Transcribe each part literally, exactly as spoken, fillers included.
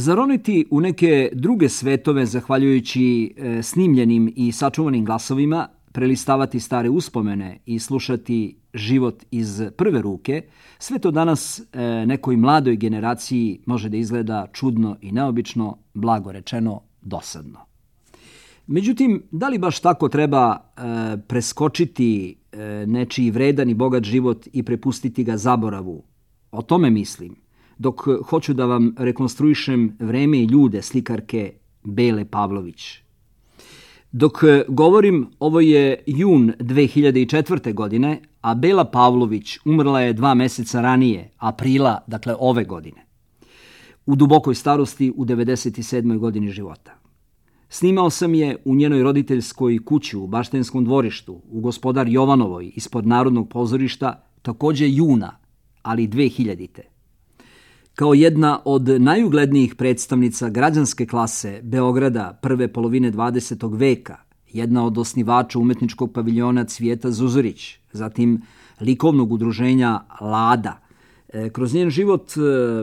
Zaroniti u neke druge svetove zahvaljujući e, snimljenim i sačuvanim glasovima, prelistavati stare uspomene i slušati život iz prve ruke, sve to danas e, nekoj mladoj generaciji može da izgleda čudno i neobično, blago rečeno dosadno. Međutim, da li baš tako treba e, preskočiti e, nečiji vredan i bogat život i prepustiti ga zaboravu? O tome mislim, dok hoću da vam rekonstruišem vreme i ljude slikarke Bele Pavlović. Dok govorim, ovo je jun dve hiljade četvrte. godine, a Bela Pavlović umrla je dva meseca ranije, aprila, dakle ove godine, u dubokoj starosti u devedeset sedmoj godini života. Snimao sam je u njenoj roditeljskoj kući u Baštenskom dvorištu, u Gospodar Jovanovoj, ispod Narodnog pozorišta, takođe juna, ali dve hiljadite. Kao jedna od najuglednijih predstavnica građanske klase Beograda prve polovine dvadesetog veka, jedna od osnivača umetničkog paviljona Cvijeta Zuzorić, zatim likovnog udruženja Lada. Kroz njen život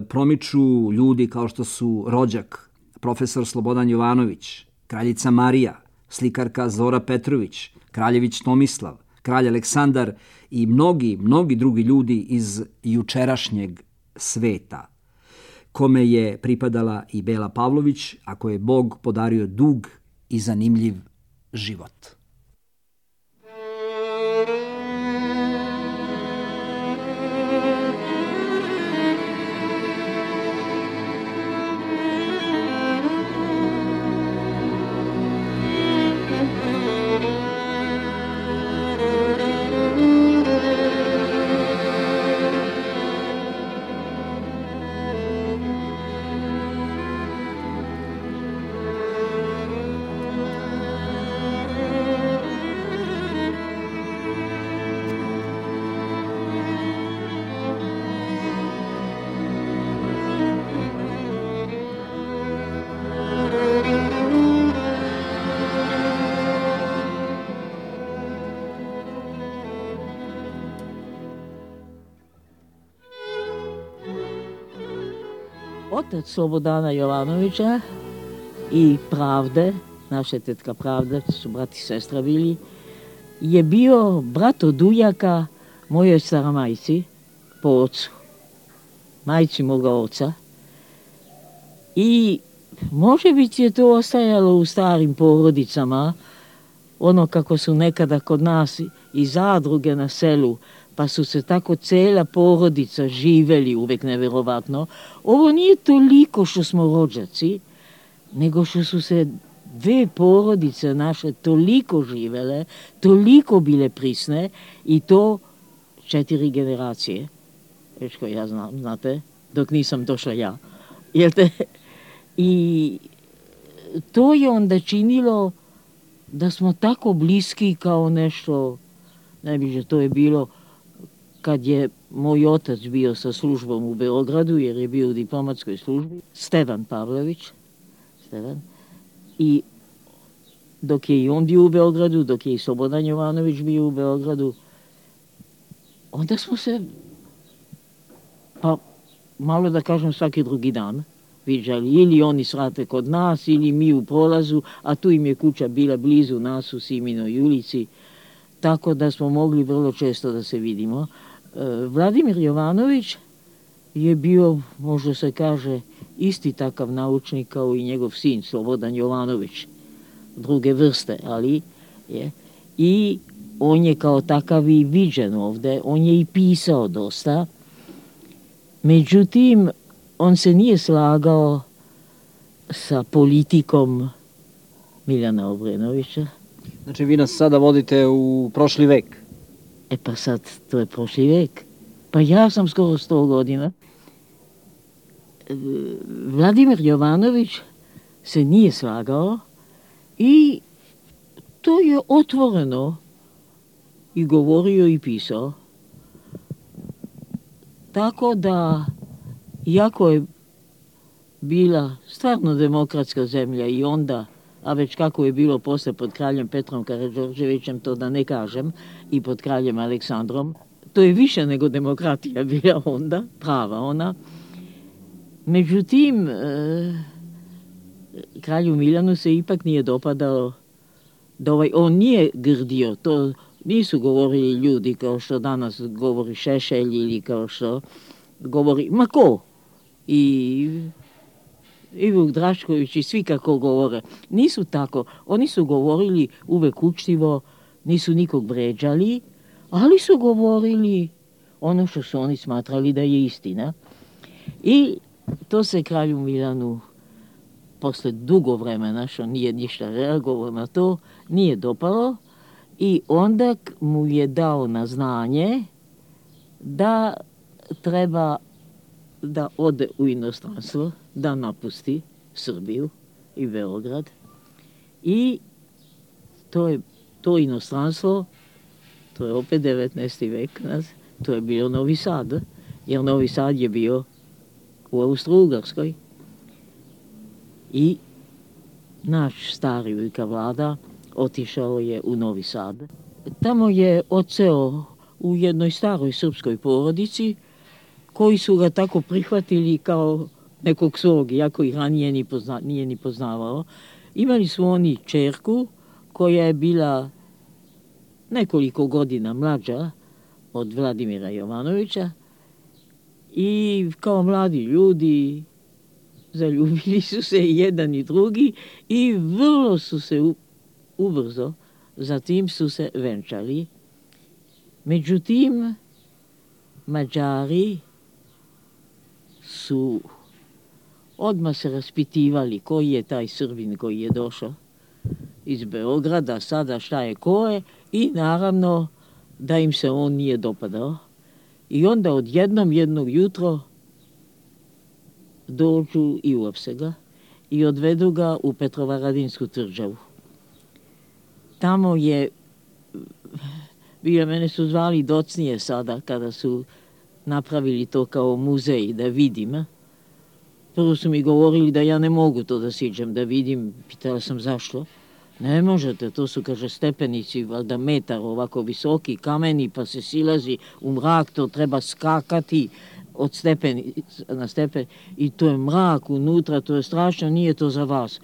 promiču ljudi kao što su rođak, profesor Slobodan Jovanović, kraljica Marija, slikarka Zora Petrović, kraljević Tomislav, kralj Aleksandar i mnogi, mnogi drugi ljudi iz jučerašnjeg sveta, kome je pripadala i Bela Pavlović, a koje je Bog podario dug i zanimljiv život. Otac Slobodana Jovanovića i Pravde, naša tetka Pravda, su brat i sestra bili, je bio brat od ujaka mojoj staramajci po ocu, majci moga oca. I može biti je to ostajalo u starim porodicama, ono kako su nekada kod nas i zadruge na selu, pa su se tako cela porodica živeli, uvek neverovatno. Ovo nije toliko što smo rođaci, nego što su se dve porodice naše toliko živele, toliko bile prisne i to četiri generacije. Već ko ja znam, znate, dok nisam došla ja. Jel te? I to je onda činilo da smo tako bliski kao nešto, najbliže to je bilo kad je moj otac bio sa službom u Beogradu, jer je bio u diplomatskoj službi, Stevan Pavlović, Stevan, i dok je i on bio u Beogradu, dok je i Slobodan Jovanović bio u Beogradu, onda smo se, pa malo da kažem svaki drugi dan, viđali, ili oni svrate kod nas, ili mi u prolazu, a tu im je kuća bila blizu nas u Siminoj ulici, tako da smo mogli vrlo često da se vidimo. Vladimir Jovanović je bio, možda se kaže, isti takav naučnik kao i njegov sin, Slobodan Jovanović, druge vrste, ali je. I on je kao takav i viđen ovde, on je i pisao dosta. Međutim, on se nije slagao sa politikom Miljana Obrenovića. Znači, vi nas sada vodite u prošli vek. E pa sad, to je prošli vek. Pa ja sam skoro sto godina. Vladimir Jovanović se nije slagao i to je otvoreno i govorio i pisao. Tako da, iako je bila stvarno demokratska zemlja i onda, a već kako je bilo posle pod kraljem Petrom Karađorđevićem, to da ne kažem, i pod kraljem Aleksandrom, to je više nego demokratija bila onda, prava ona. Međutim, kralju Milanu se ipak nije dopadalo da ovaj, on nije grdio, to nisu govorili ljudi kao što danas govori Šešelj ili kao što govori, ma ko? I, i Vuk Drašković i svi kako govore. Nisu tako. Oni su govorili uvek učtivo, nisu nikog vređali, ali su govorili ono što su oni smatrali da je istina. I to se kralju Milanu posle dugo vremena, što nije ništa reagovao na to, nije dopalo i onda mu je dao na znanje da treba da ode u inostranstvo, da napusti Srbiju i Beograd. I to je to inostranstvo, to je opet devetnaesti vek, to je bio Novi Sad, jer Novi Sad je bio u Austro-Ugarskoj. I naš stari Vujka Vlada otišao je u Novi Sad. Tamo je odseo u jednoj staroj srpskoj porodici koji su ga tako prihvatili kao nekog svog, iako ih ranije ni pozna, nije ni poznavao. Imali su oni čerku koja je bila nekoliko godina mlađa od Vladimira Jovanovića i kao mladi ljudi zaljubili su se i jedan i drugi i vrlo su se u, ubrzo zatim su se venčali. Međutim, Mađari su odmah se raspitivali koji je taj Srbin koji je došao iz Beograda, sada šta je ko je, i naravno da im se on nije dopadao. I onda odjednom jednog jutro dođu i uopse ga i odvedu ga u Petrovaradinsku tvrđavu. Tamo je, bio mene su zvali docnije sada kada su napravili to kao muzej da vidim. Prvo su mi govorili da ja ne mogu to da siđem da vidim, pitala sam zašto. Ne možete, to su, kaže, stepenici, valjda metar ovako visoki, kameni, pa se silazi u mrak, to treba skakati od stepeni na stepen i to je mrak unutra, to je strašno, nije to za vas.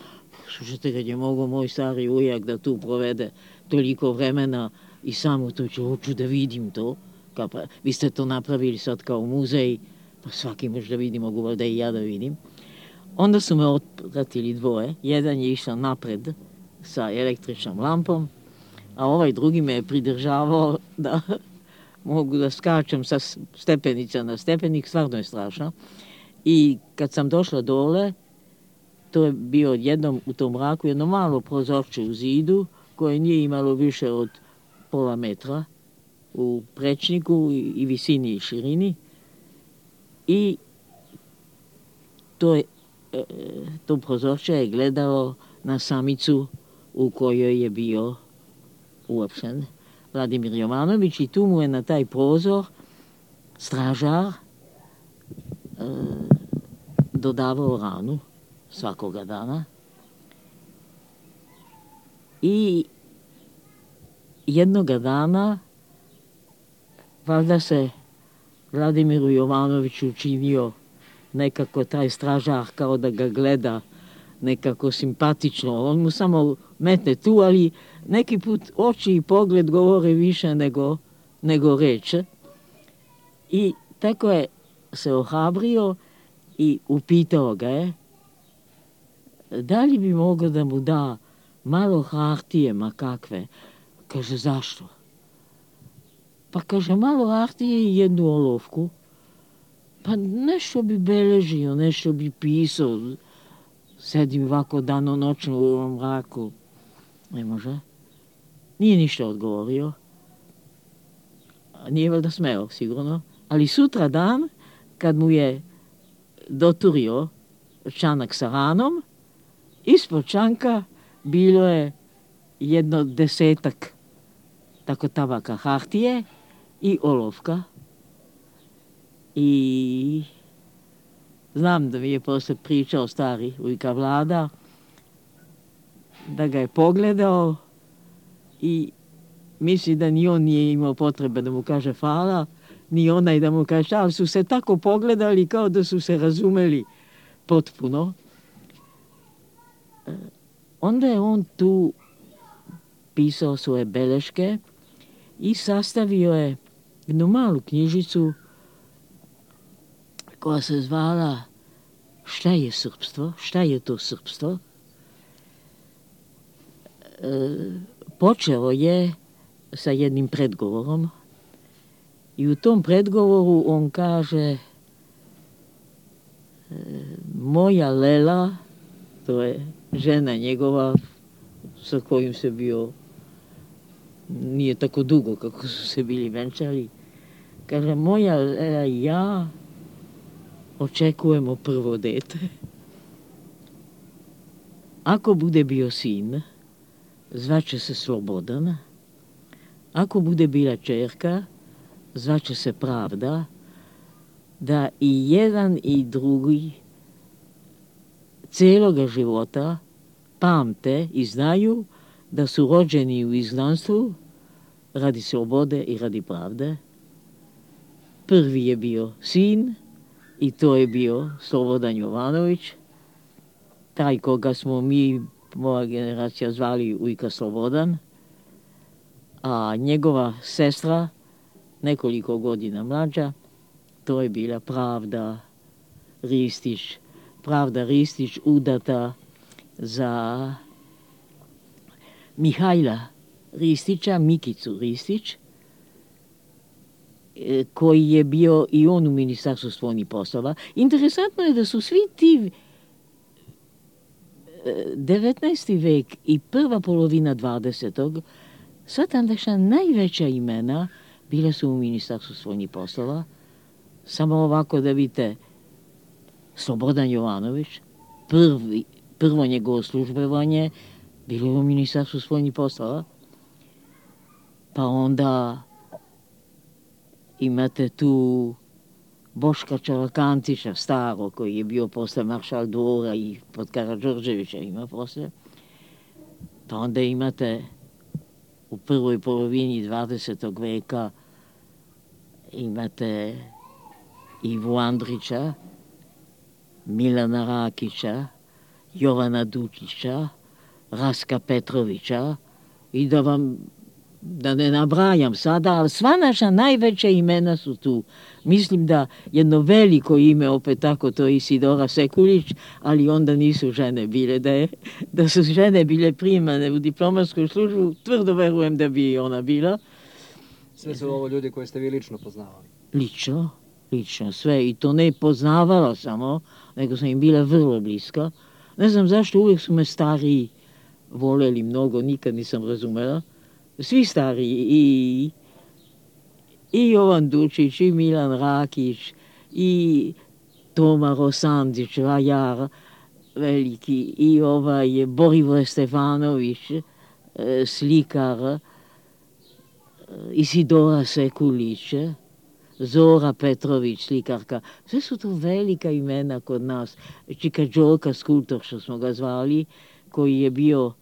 Slušajte, kad je mogao moj stari ujak da tu provede toliko vremena i samo to ću, hoću da vidim to. Kao pa, vi ste to napravili sad kao muzej, pa svaki može da vidi, mogu da i ja da vidim. Onda su me otpratili dvoje, jedan je išao napred sa električnom lampom, a ovaj drugi me je pridržavao da mogu da skačem sa stepenica na stepenik, stvarno je strašno. I kad sam došla dole, to je bio jednom u tom mraku jedno malo prozorče u zidu koje nije imalo više od pola metra u prečniku i visini i širini. I to, je, to prozorče je gledalo na samicu u kojoj je bio uopšten Vladimir Jovanović i tu mu je na taj prozor stražar e, dodavao ranu svakoga dana. I jednoga dana valjda se Vladimiru Jovanoviću učinio nekako taj stražar kao da ga gleda nekako simpatično. On mu samo metne tu, ali neki put oči i pogled govore više nego, nego reče. I tako je se ohrabrio i upitao ga je da li bi mogao da mu da malo hartije, ma kakve. Kaže, zašto? Pa kaže, malo hartije i jednu olovku. Pa nešto bi beležio, nešto bi pisao. Sedim ovako danonoćno u ovom mraku. Ne može. Nije ništa odgovorio. Nije valjda smeo, sigurno. Ali sutra dan, kad mu je doturio čanak sa ranom, ispod čanka bilo je jedno desetak tako tabaka hartije i olovka. I znam da mi je posle pričao stari Vujka Vlada, da ga je pogledao i misli da ni on nije imao potrebe da mu kaže hvala, ni onaj da mu kaže, ali su se tako pogledali kao da su se razumeli. potpuno. Onda je on tu pisao svoje beleške i sastavio je jednu malu knjižicu koja se zvala Šta je srpstvo? Šta je to srpstvo? E, počeo je sa jednim predgovorom i u tom predgovoru on kaže e, moja Lela, to je žena njegova sa kojim se bio nije tako dugo kako su se bili venčali, kaže moja Lela i ja očekujemo prvo dete. Ako bude bio sin, zvaće se Slobodan. Ako bude bila čerka, zvaće se Pravda, da i jedan i drugi cijeloga života pamte i znaju da su rođeni u izgnanstvu radi slobode i radi pravde. Prvi je bio sin i to je bio Slobodan Jovanović, taj koga smo mi, moja generacija, zvali Ujka Slobodan, a njegova sestra, nekoliko godina mlađa, to je bila Pravda Ristić. Pravda Ristić udata za Mihajla Ristića, Mikicu Ristić, koji je bio i on u Ministarstvu spoljnih poslova. Interesantno je da su svi ti devetnaesti vek i prva polovina dvadesetog sva tandašnja najveća imena bile su u Ministarstvu spoljnih poslova. Samo ovako da vidite, Slobodan Jovanović, prvi, prvo njegovo službovanje bilo je u Ministarstvu spoljnih poslova. Pa onda imate tu Boška Čalakantića, staro, koji je bio posle maršal dvora i pod Karađorđevića ima posle. Pa onda imate u prvoj polovini dvadesetog veka imate Ivu Andrića, Milana Rakića, Jovana Dučića, Raska Petrovića i da vam da ne nabrajam sada, ali sva naša najveća imena su tu. Mislim da jedno veliko ime, opet tako, to je Isidora Sekulić, ali onda nisu žene bile. Da, je, da su žene bile primane u diplomatsku službu, tvrdo verujem da bi ona bila. Sve su ovo ljudi koje ste vi lično poznavali? Lično, lično, sve. I to ne poznavala samo, nego sam im bila vrlo bliska. Ne znam zašto, uvijek su me stariji voljeli mnogo, nikad nisam razumela. Svi stariji, i, i Jovan Dučić, i Milan Rakić, i Toma Rosandić, vajar veliki, i ovaj Borivoj Stefanović, slikar, Isidora Sekulić, Zora Petrović, slikarka. Sve su to velika imena kod nas. Čika Đoka, skulptor, što smo ga zvali, koji je bio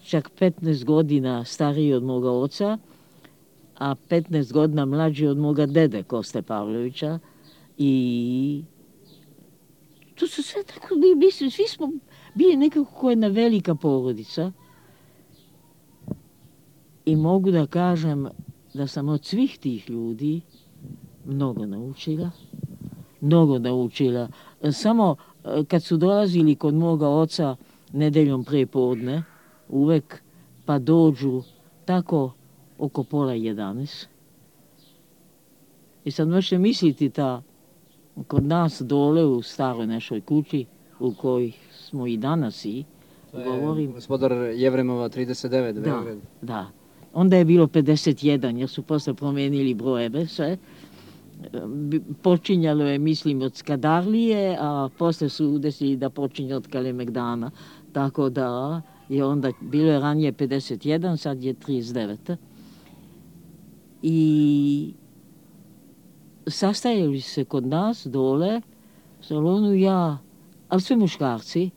čak petnaest godina stariji od moga oca, a petnaest godina mlađi od moga dede Koste Pavlovića. I to su sve tako, mislim, svi smo bili nekako jedna velika porodica. I mogu da kažem da sam od svih tih ljudi mnogo naučila. Mnogo naučila. Samo kad su dolazili kod moga oca nedeljom pre podne, uvek, pa dođu tako oko pola jedanaest. I sad možete misliti da kod nas dole u staroj našoj kući, u kojoj smo i danas i govorim. Gospodar Jevremova trideset devet. Da, Beograd. da. Onda je bilo pedeset jedan, jer su posle promenili brojeve sve. Počinjalo je, mislim, od Skadarlije, a posle su desili da počinje od Kalemegdana. Tako da je onda, bilo je ranije pedeset jedan, sad je trideset devet. I sastajali se kod nas dole, u salonu ja, ali sve muškarci.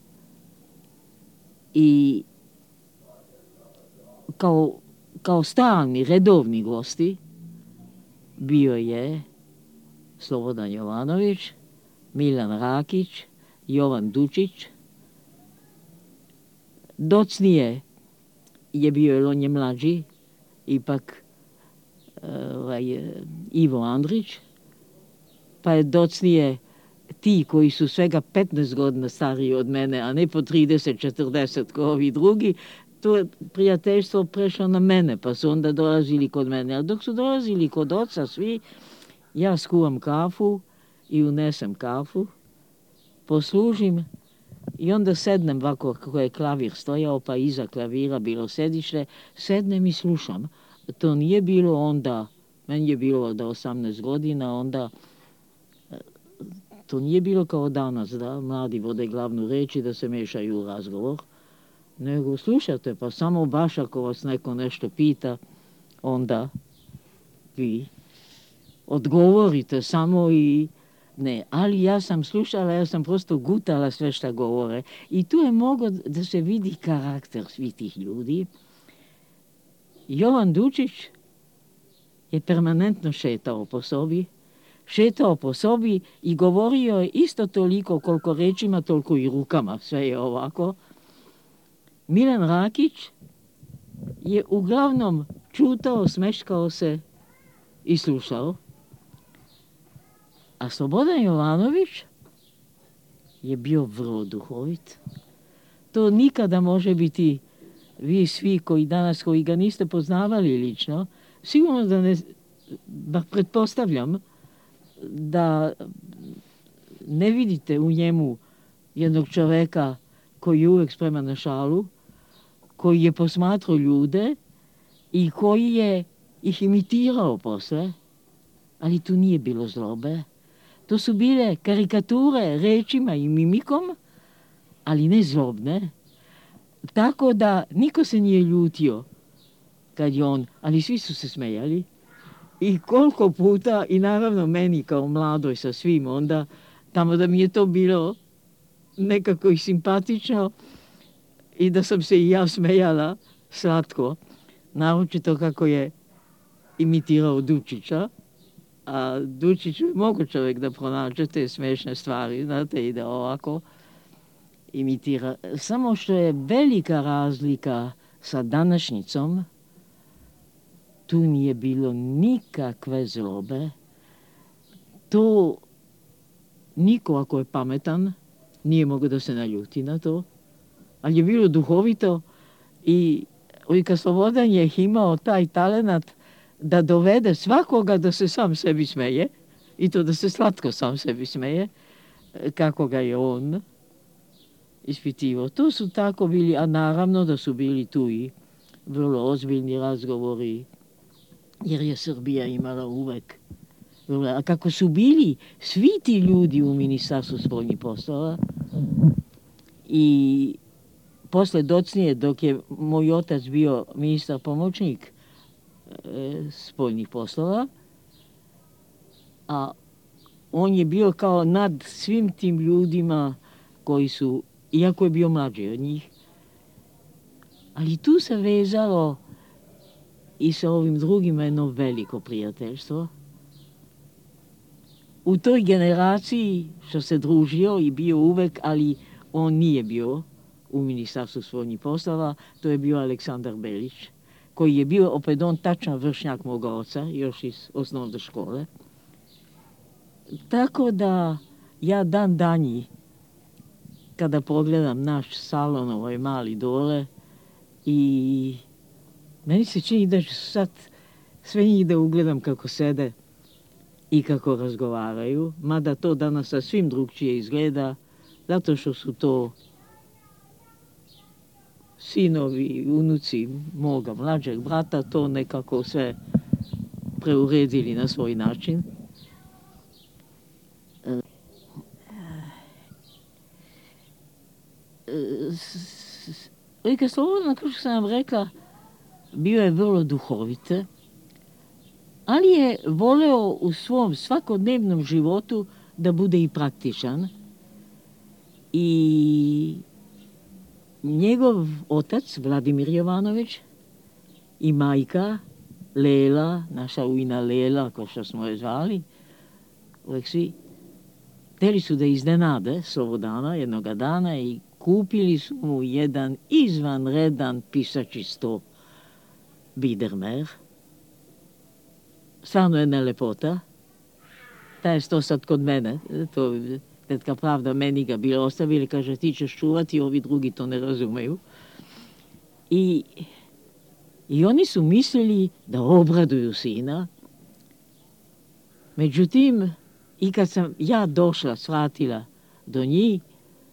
I kao, kao stalni, redovni gosti bio je Slobodan Jovanović, Milan Rakić, Jovan Dučić. Docnije je bio, jer on je mlađi, ipak ovaj, Ivo Andrić, pa je docnije ti koji su svega petnaest godina stariji od mene, a ne po trideset četrdeset kao ovi drugi, to je prijateljstvo prešlo na mene, pa su onda dolazili kod mene. A dok su dolazili kod oca svi, ja skuvam kafu i unesem kafu, poslužim i onda sednem ovako kako je klavir stojao, pa iza klavira bilo sedište, sednem i slušam. To nije bilo onda, meni je bilo da osamnaest godina, onda to nije bilo kao danas, da mladi vode glavnu reč i da se mešaju u razgovor, nego slušate, pa samo baš ako vas neko nešto pita, onda vi odgovorite samo i ne. Ali ja sam slušala, ja sam prosto gutala sve šta govore i tu je moglo da se vidi karakter svih tih ljudi. Jovan Dučić je permanentno šetao po sobi, šetao po sobi i govorio je isto toliko koliko rečima, toliko i rukama, sve je ovako. Milan Rakić je uglavnom čutao, smeškao se i slušao. A Slobodan Jovanović je bio vrlo duhovit. To nikada može biti, vi svi koji danas, koji ga niste poznavali lično, sigurno da ne, da pretpostavljam, da ne vidite u njemu jednog čoveka koji je uvek spreman na šalu, koji je posmatrao ljude i koji je ih imitirao posle, ali tu nije bilo zlobe. To su bile karikature rečima i mimikom, ali ne zlobne. Tako da niko se nije ljutio kad je on, ali svi su se smejali. I koliko puta, i naravno meni kao mladoj sa svim onda, tamo da mi je to bilo nekako i simpatično i da sam se i ja smejala slatko, naročito kako je imitirao Dučića, a Dučić mogu čovjek da pronađe te smešne stvari, znate, i da ovako imitira. Samo što je velika razlika sa današnjicom, tu nije bilo nikakve zlobe. To niko ako je pametan nije mogao da se naljuti na to, ali je bilo duhovito i Ujka Slobodan je imao taj talenat da dovede svakoga da se sam sebi smeje i to da se slatko sam sebi smeje, kako ga je on ispitivao. To su tako bili, a naravno da su bili tu i vrlo ozbiljni razgovori, jer je Srbija imala uvek. A kako su bili svi ti ljudi u Ministarstvu spoljnih poslova i posle docnije, dok je moj otac bio ministar pomoćnik e, spoljnih poslova, a on je bio kao nad svim tim ljudima koji su, iako je bio mlađi od njih, ali tu se vezalo i sa ovim drugima jedno veliko prijateljstvo. U toj generaciji što se družio i bio uvek, ali on nije bio u Ministarstvu spoljnih poslova, to je bio Aleksandar Belić, koji je bio opet on tačan vršnjak moga oca, još iz osnovne škole. Tako da ja dan danji, kada pogledam naš salon, ovaj mali dole, i meni se čini da ću sad sve njih da ugledam kako sede i kako razgovaraju, mada to danas sasvim drugčije izgleda, zato što su to sinovi, unuci moga mlađeg brata, to nekako sve preuredili na svoj način. Ujka Slobodan, kao što sam vam rekla, bio je vrlo duhovite, ali je voleo u svom svakodnevnom životu da bude i praktičan. I njegov otac, Vladimir Jovanović, i majka, Lela, naša ujna Lela, kao što smo je zvali, uvek svi, hteli su da iznenade Slobodana jednoga dana i kupili su mu jedan izvanredan pisači sto Biedermer. Stvarno jedna lepota. Taj je sto sad kod mene. To, tetka Pravda meni ga bila ostavili, kaže ti ćeš čuvati, ovi drugi to ne razumeju. I, i oni su mislili da obraduju sina. Međutim, i kad sam ja došla, shvatila do njih,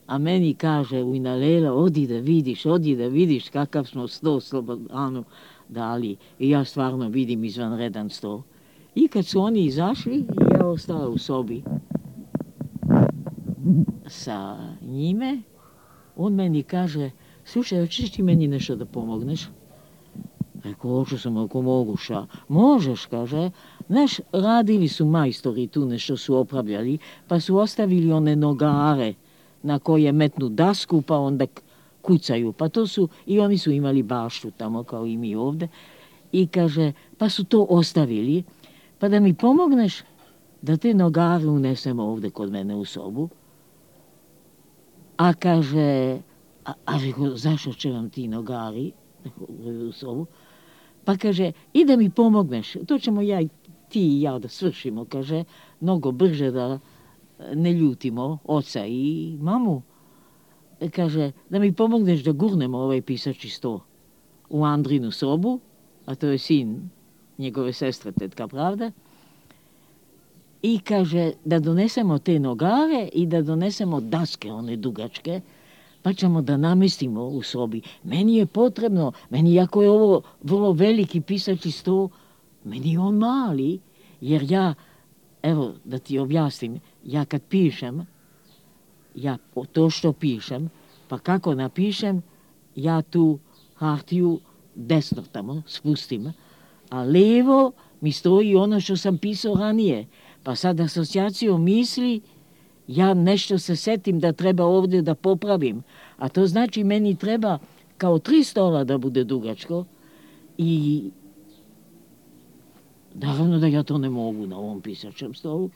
a meni kaže Ujnalela, odi da vidiš, odi da vidiš kakav smo sto Slobodanu dali. I ja stvarno vidim izvanredan sto. I kad su oni izašli, ja ostala u sobi sa njime, on meni kaže, slušaj, hoćeš ti meni nešto da pomogneš? Rekao, hoću sam, ako mogu, ša. Možeš, kaže. Znaš, radili su majstori tu nešto su opravljali, pa su ostavili one nogare na koje metnu dasku, pa onda kucaju. Pa to su, i oni su imali baštu tamo, kao i mi ovde. I kaže, pa su to ostavili, pa da mi pomogneš da te nogare unesemo ovde kod mene u sobu. A kaže, a, a rekao, zašto će vam ti nogari u sobu? Pa kaže, i da mi pomogneš, to ćemo ja i ti i ja da svršimo, kaže, mnogo brže da ne ljutimo oca i mamu. Kaže, da mi pomogneš da gurnemo ovaj pisači sto u Andrinu sobu, a to je sin njegove sestre, tetka Pravda, i kaže, da donesemo te nogare i da donesemo daske, one dugačke, pa ćemo da namestimo u sobi. Meni je potrebno, meni jako je ovo vrlo veliki pisači sto, meni je on mali, jer ja, evo da ti objasnim, ja kad pišem, ja to što pišem, pa kako napišem, ja tu hartiju desno tamo spustim, a levo mi stoji ono što sam pisao ranije. Pa sad asocijaciju misli, ja nešto se setim da treba ovdje da popravim. A to znači meni treba kao tri stola da bude dugačko i naravno da ja to ne mogu na ovom pisačem stolu.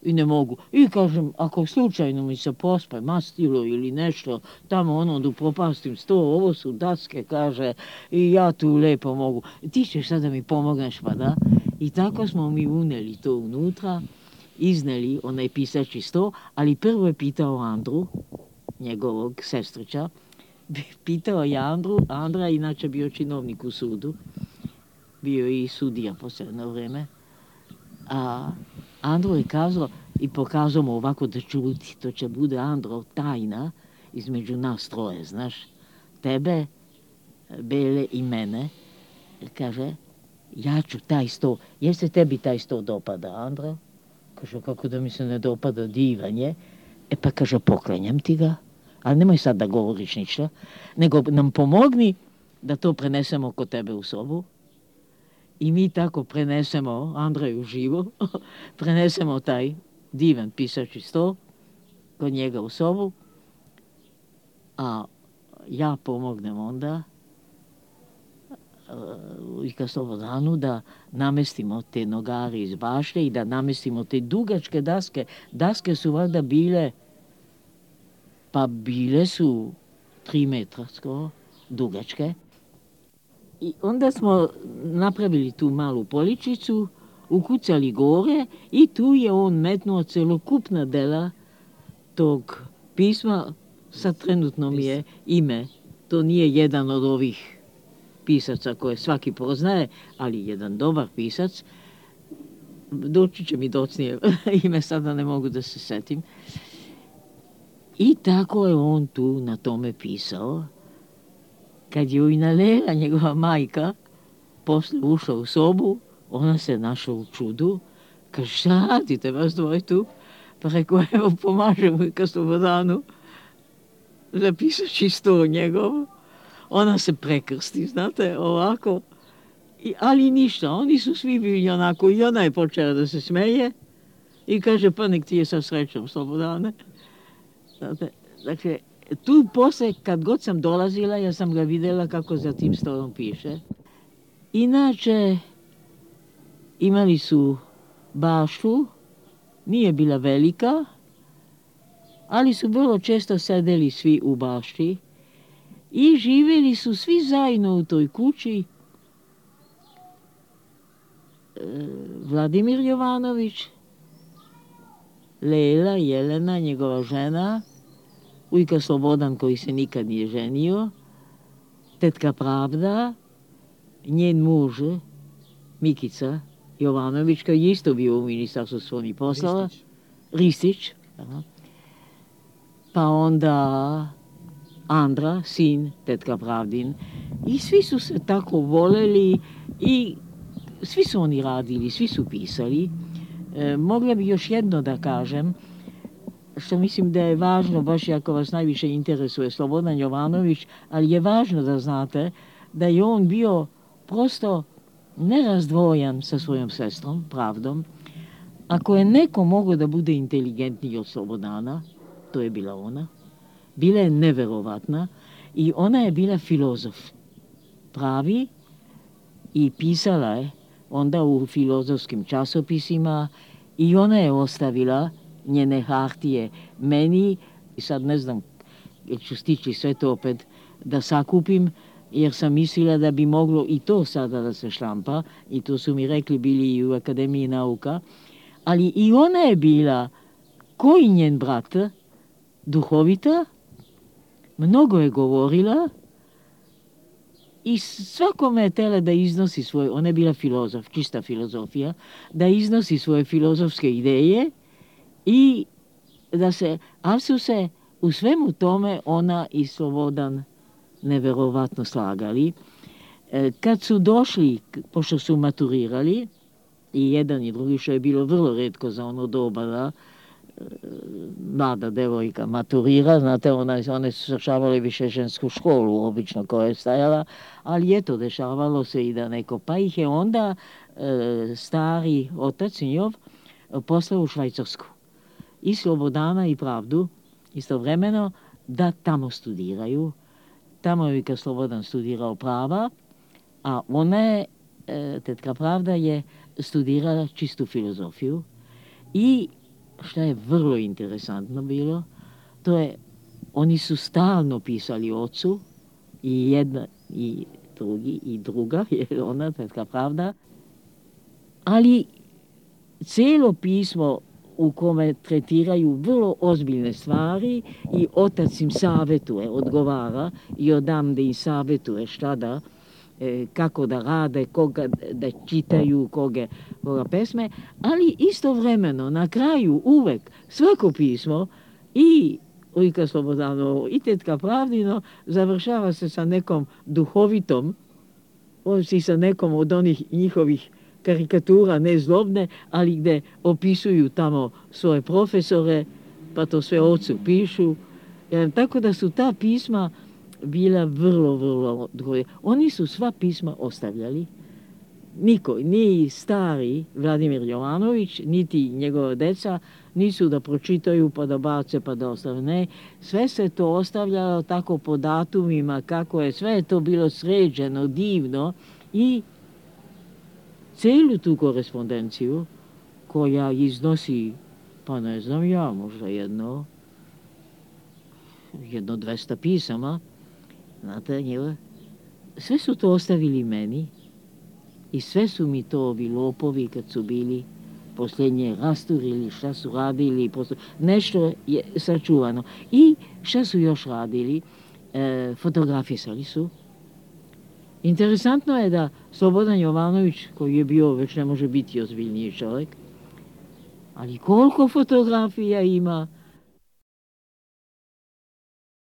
I ne mogu. I kažem, ako slučajno mi se pospe mastilo ili nešto, tamo ono da propastim sto, ovo su daske, kaže, i ja tu lepo mogu. Ti ćeš sad da mi pomogneš, pa da? I tako smo mi uneli to unutra, izneli onaj pisači sto, ali prvo je pitao Andru, njegovog sestrića, pitao je Andru, Andra inače bio činovnik u sudu, bio i sudija posebno vreme, a Andro je kazao i pokazao mu ovako da čuti, to će bude Andro tajna između nas troje, znaš, tebe, Bele i mene, kaže, ja ću taj sto, jer se tebi taj sto dopada, Andro? Kaže, kako da mi se ne dopada, divan je. E pa kaže, poklanjam ti ga, ali nemoj sad da govoriš ništa, nego nam pomogni da to prenesemo kod tebe u sobu. I mi tako prenesemo, Andreju živo, prenesemo taj divan pisači sto kod njega u sobu, a ja pomognem onda i ka Slobodanu da namestimo te nogari iz bašte i da namestimo te dugačke daske. Daske su valjda bile, pa bile su tri metra skoro dugačke. I onda smo napravili tu malu poličicu, ukucali gore i tu je on metnuo celokupna dela tog pisma. Sad trenutno mi je ime. To nije jedan od ovih pisaca koje svaki poznaje, ali jedan dobar pisac. Doći će mi docnije ime, sada ne mogu da se setim. I tako je on tu na tome pisao. Kad je Ujnalela, njegova majka, posle ušla u sobu, ona se našla u čudu. Kaže, šta radite vas dvoje tu? Pa rekao, evo, pomažemo i ka Slobodanu. Zapisači sto njegov. Ona se prekrsti, znate, ovako. I, ali ništa, oni su svi bili onako, i ona je počela da se smeje i kaže, pa nek ti je sa srećom, Slobodane. Znate, dakle, tu posle, kad god sam dolazila, ja sam ga videla kako za tim stolom piše. Inače, imali su baštu, nije bila velika, ali su vrlo često sedeli svi u bašti i živjeli su svi zajedno u toj kući. Vladimir Jovanović, Lela, Jelena, njegova žena, ujka Slobodan koji se nikad nije ženio, tetka Pravda, njen muž Mikica Jovanović, koji je isto bio u Ministarstvu spoljnih poslova, Ristić, pa onda Andra, sin tetka Pravdin. I svi su se tako voleli i svi su oni radili, svi su pisali. E, mogla bi još jedno da kažem, što mislim da je važno, baš ako vas najviše interesuje Slobodan Jovanović, ali je važno da znate da je on bio prosto nerazdvojan sa svojom sestrom, Pravdom. Ako je neko mogao da bude inteligentniji od Slobodana, to je bila ona. Bila je neverovatna i ona je bila filozof. Pravi i pisala je onda u filozofskim časopisima i ona je ostavila njene hartije meni. I sad ne znam, jer ću stići sve to opet da sakupim, jer sam mislila da bi moglo i to sada da se štampa, i to su mi rekli bili i u Akademiji nauka, ali i ona je bila, koji njen brat, duhovita, mnogo je govorila i svakome je tela da iznosi svoje, ona je bila filozof, čista filozofija, da iznosi svoje filozofske ideje i da se, ali su se u svemu tome ona i Slobodan neverovatno slagali. Kad su došli, pošto su maturirali, i jedan i drugi, što je bilo vrlo retko za ono doba, da mlada devojka maturira, znate, ona, one su završavale više žensku školu, obično koja je stajala, ali je to dešavalo se i da neko, pa ih je onda e, stari otac njov poslao u Švajcarsku. I Slobodana i Pravdu istovremeno da tamo studiraju. Tamo je kad Slobodan studirao prava, a ona je, e, tetka Pravda je studirala čistu filozofiju i što je vrlo interesantno bilo, to je, oni su stalno pisali ocu, i jedna, i drugi, i druga, jer ona, tetka Pravda, ali cijelo pismo u kome tretiraju vrlo ozbiljne stvari i otac im savjetuje, odgovara i odamde im savjetuje šta da, kako da rade, koga da čitaju, koga, koga pesme, ali istovremeno na kraju uvek svako pismo i ujka Slobodanovo i tetka Pravdino završava se sa nekom duhovitom, i sa nekom od onih njihovih karikatura, ne zlobne, ali gde opisuju tamo svoje profesore, pa to sve ocu pišu. E, tako da su ta pisma bila vrlo, vrlo odgovorna. Oni su sva pisma ostavljali. Niko, ni stari Vladimir Jovanović, niti njegova deca, nisu da pročitaju, pa da bace, pa da ostave. Ne, sve se to ostavljalo tako po datumima, kako je, sve je to bilo sređeno, divno i celu tu korespondenciju koja iznosi, pa ne znam ja, možda jedno, jedno dvesta pisama, znate, njeva, sve su to ostavili meni i sve su mi to ovi lopovi kad su bili posljednje rasturili, šta su radili, posle, nešto je sačuvano. I šta su još radili? E, fotografisali su. Interesantno je da Slobodan Jovanović, koji je bio, već ne može biti ozbiljniji čovjek, ali koliko fotografija ima,